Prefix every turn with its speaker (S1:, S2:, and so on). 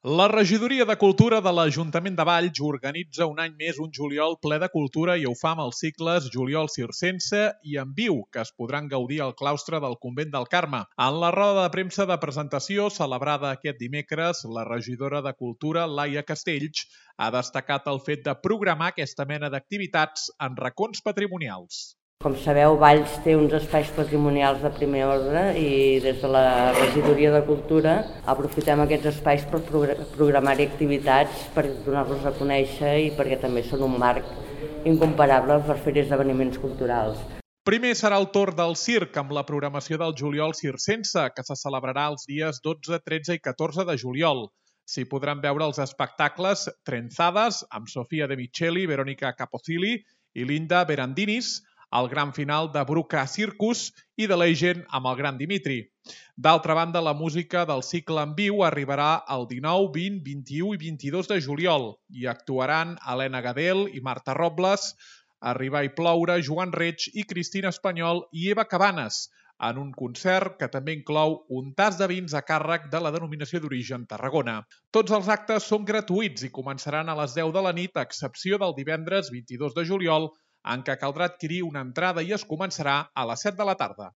S1: La Regidoria de Cultura de l'Ajuntament de Valls organitza un any més un juliol ple de cultura i ho fa amb els cicles Juliol Circense i En Viu, que es podran gaudir al claustre del Convent del Carme. En la roda de premsa de presentació, celebrada aquest dimecres, la regidora de Cultura, Laia Castells, ha destacat el fet de programar aquesta mena d'activitats en racons patrimonials.
S2: Com sabeu, Valls té uns espais patrimonials de primer ordre i des de la Regidoria de Cultura aprofitem aquests espais per programar-hi activitats, per donar-los a conèixer i perquè també són un marc incomparable per fer esdeveniments culturals.
S1: Primer serà el torn del circ amb la programació del Juliol Circense, que se celebrarà els dies 12, 13 i 14 de juliol. S'hi podran veure els espectacles Trenzades, amb Sofia De Micheli, Verónica Capocilli i Linda Berandinis, el gran final de Bruca Circus i de Legend amb el gran Dimitri. D'altra banda, la música del cicle En Viu arribarà el 19, 20, 21 i 22 de juliol i actuaran Helena Gadel i Marta Robles, Arribar i ploure, Joan Reig i Cristina Espanyol i Eva Cabanes, en un concert que també inclou un tas de vins a càrrec de la denominació d'origen Tarragona. Tots els actes són gratuïts i començaran a les 10 de la nit, a excepció del divendres 22 de juliol, en què caldrà adquirir una entrada i es començarà a les 7 de la tarda.